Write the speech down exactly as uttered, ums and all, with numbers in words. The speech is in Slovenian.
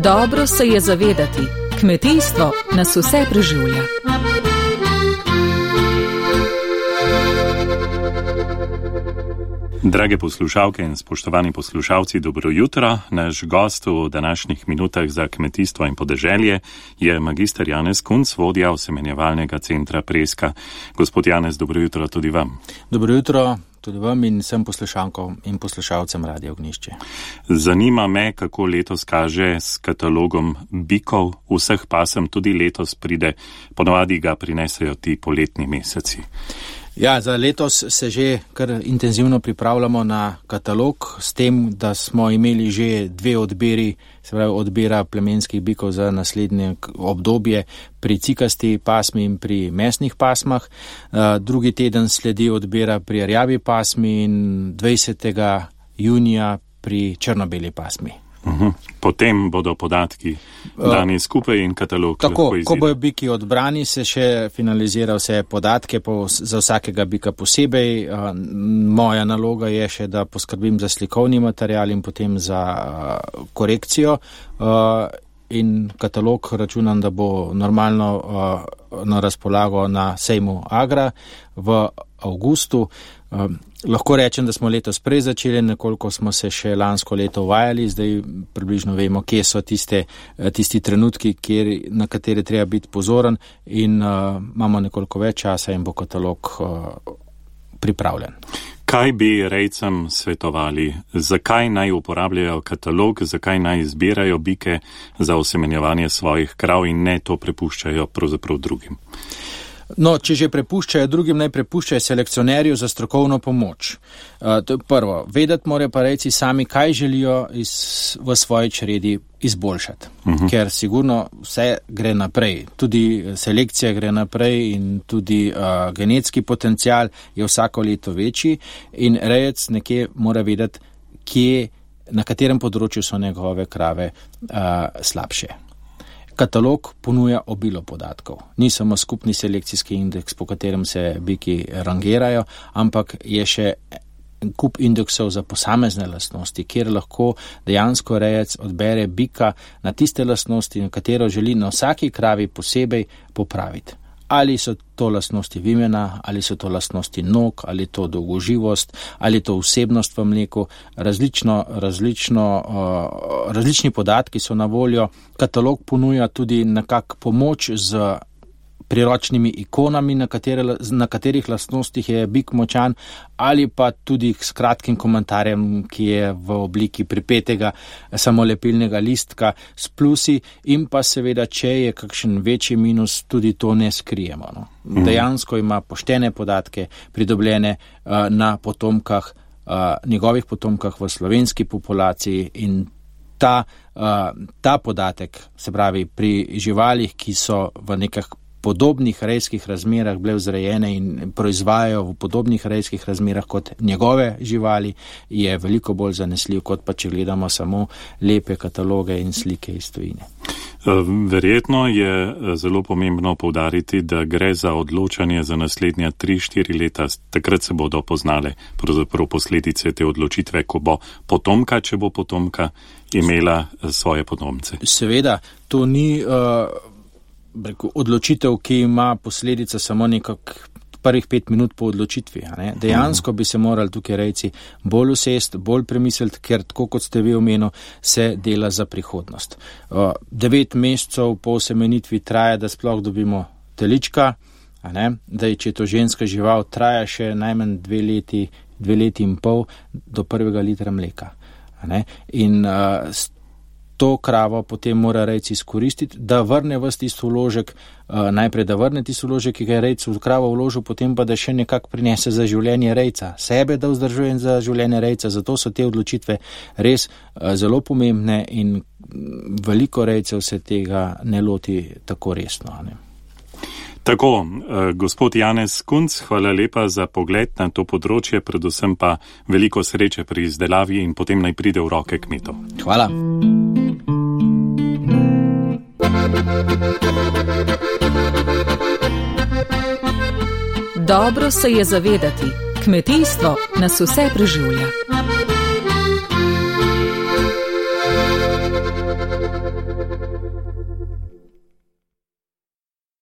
Dobro se je zavedati, kmetijstvo nas vse preživlja. Drage poslušalke in spoštovani poslušalci, dobro jutro. Naš gost v današnjih minutah za kmetijstvo in podeželje je magister Janez Kunc, vodja osemenjevalnega centra Preska. Gospod Janez, dobro jutro tudi vam. Dobro jutro tudi vam in vsem poslušankom in poslušalcem Radia Ognjišče. Zanima me, kako letos kaže s katalogom bikov vseh pasem, tudi letos pride, ponovadi ga prinesejo ti poletni meseci. Ja, za letos se že kar intenzivno pripravljamo na katalog, s tem, da smo imeli že dve odbiri, se pravi odbira plemenskih bikov za naslednje obdobje pri cikasti pasmi in pri mesnih pasmah. Drugi teden sledi odbira pri rjavi pasmi in dvajsetega junija pri črno-beli pasmi. Uhum. Potem bodo podatki dani skupaj in katalog tako, lahko izide. Ko bojo biki odbrani, se še finalizira vse podatke po, za vsakega bika posebej. Moja naloga je še, da poskrbim za slikovni material in potem za korekcijo. In katalog računam, da bo normalno na razpolago na sejmu Agra v avgustu. Lahko rečem, da smo letos prej začeli, nekoliko smo se še lansko leto uvajali, zdaj približno vemo, kje so tiste, tisti trenutki, kjer, na katere treba biti pozoren in uh, imamo nekoliko več časa in bo katalog uh, pripravljen. Kaj bi rejcem svetovali? Zakaj naj uporabljajo katalog, zakaj naj izbirajo bike za osemenjevanje svojih krav in ne to prepuščajo pravzaprav drugim? No, če že prepuščajo drugim, naj prepuščajo selekcionerju za strokovno pomoč. Uh, to je prvo. Vedeti morajo pa rejci sami, kaj želijo iz, v svoji čredi izboljšati. Uh-huh. Ker sigurno vse gre naprej. Tudi selekcija gre naprej in tudi uh, genetski potencial je vsako leto večji in rejec nekje mora vedeti, kje, na katerem področju so njegove krave uh, slabše. Katalog ponuja obilo podatkov. Ni samo skupni selekcijski indeks, po katerem se biki rangirajo, ampak je še kup indeksov za posamezne lastnosti, kjer lahko dejansko rejec odbere bika na tiste lastnosti, na katero želi na vsaki kravi posebej popraviti. Ali so to lastnosti vimena, ali so to lastnosti nog, ali to dolgoživost, ali to vsebnost v mleku. Različno, različno, uh, različni podatki so na voljo. Katalog ponuja tudi nekak pomoč z priročnimi ikonami, na, katere, na katerih lastnostih je bik močan, ali pa tudi s kratkim komentarjem, ki je v obliki pripetega samolepilnega listka s plusi in pa seveda, če je kakšen večji minus, tudi to ne skrijemo. No. Mm. Dejansko ima poštene podatke pridobljene uh, na potomkah, uh, njegovih potomkah v slovenski populaciji in ta, uh, ta podatek, se pravi pri živalih, ki so v nekah podobnih rejskih razmerah bile vzrejene in proizvajajo v podobnih rejskih razmerah kot njegove živali, je veliko bolj zanesljiv, kot pa če gledamo samo lepe kataloge in slike iz tujine. Verjetno je zelo pomembno poudariti, da gre za odločanje za naslednja tri štiri leta. Takrat se bodo poznale pravzaprav posledice te odločitve, ko bo potomka, če bo potomka, imela svoje potomce. Seveda, to ni uh, odločitev, ki ima posledica samo nekak prvih pet minut po odločitvi. A ne? Dejansko bi se morali tukaj rejci bolj usest, bolj premisliti, ker tako kot ste vi omenili, se dela za prihodnost. Uh, devet mesecev po osemenitvi traja, da sploh dobimo telička, a ne? Da če je to ženska žival, traja še najmanj dve leti, dve leti in pol do prvega litra mleka. A ne? In uh, to kravo potem mora rejci izkoristiti, da vrne ves tisto vložek, uh, najprej da vrne tisto vložek, ki ga je rejc v kravo vložil, potem pa da še nekako prinese za življenje rejca. Sebe da vzdržuje za življenje rejca, zato so te odločitve res uh, zelo pomembne in veliko rejcev se tega ne loti tako resno. Ne? Tako, eh, gospod Janez Kunc, hvala lepa za pogled na to področje, predvsem pa veliko sreče pri izdelavi in potem naj pride v roke kmetov. Hvala. Dobro se je zavedati, kmetijstvo nas vse preživlja.